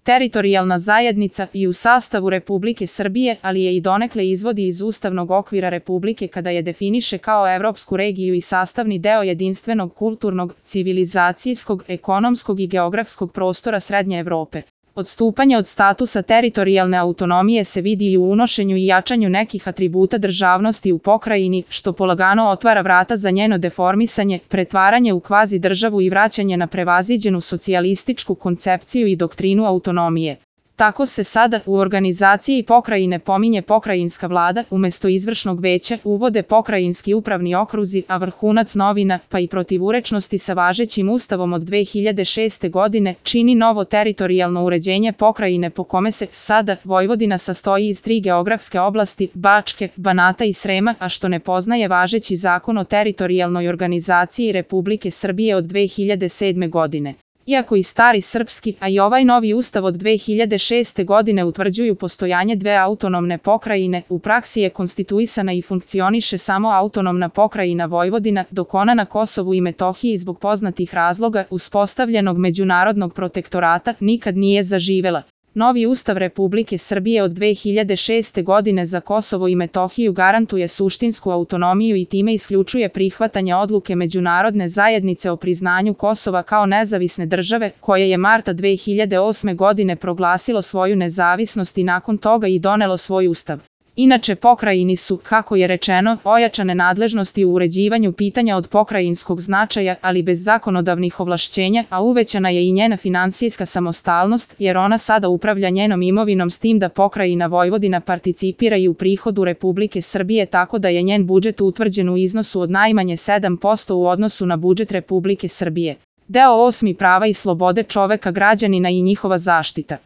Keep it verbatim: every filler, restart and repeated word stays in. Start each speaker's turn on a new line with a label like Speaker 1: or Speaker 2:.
Speaker 1: teritorijalna zajednica i u sastavu Republike Srbije, ali je i donekle izvodi iz ustavnog okvira Republike kada je definiše kao evropsku regiju i sastavni deo jedinstvenog kulturnog, civilizacijskog, ekonomskog i geografskog prostora Srednje Evrope. Odstupanje od statusa teritorijalne autonomije se vidi i u unošenju i jačanju nekih atributa državnosti u pokrajini, što polagano otvara vrata za njeno deformisanje, pretvaranje u kvazi državu i vraćanje na prevaziđenu socijalističku koncepciju i doktrinu autonomije. Tako se sada u organizaciji pokrajine pominje pokrajinska vlada, umesto izvršnog veća uvode pokrajinski upravni okruzi, a vrhunac novina, pa i protivurečnosti sa važećim ustavom od dve hiljade šeste. godine, čini novo teritorijalno uređenje pokrajine po kome se sada Vojvodina sastoji iz tri geografske oblasti, Bačke, Banata i Srema, a što ne poznaje važeći zakon o teritorijalnoj organizaciji Republike Srbije od dve hiljade sedme. godine. Iako i stari srpski, a i ovaj novi ustav od dve hiljade šeste. godine utvrđuju postojanje dve autonomne pokrajine, u praksi je konstituisana i funkcioniše samo autonomna pokrajina Vojvodina, dok ona na Kosovu i Metohiji zbog poznatih razloga uspostavljenog međunarodnog protektorata nikad nije zaživela. Novi ustav Republike Srbije od dve hiljade šeste. godine za Kosovo i Metohiju garantuje suštinsku autonomiju i time isključuje prihvatanje odluke međunarodne zajednice o priznanju Kosova kao nezavisne države, koje je marta dve hiljade osme. godine proglasilo svoju nezavisnost i nakon toga i donelo svoj ustav. Inače pokrajini su, kako je rečeno, ojačane nadležnosti u uređivanju pitanja od pokrajinskog značaja, ali bez zakonodavnih ovlašćenja, a uvećana je i njena finansijska samostalnost, jer ona sada upravlja njenom imovinom s tim da pokrajina Vojvodina participira i u prihodu Republike Srbije tako da je njen budžet utvrđen u iznosu od najmanje sedam posto u odnosu na budžet Republike Srbije. Deo osmi prava i slobode čoveka, građanina i njihova zaštita.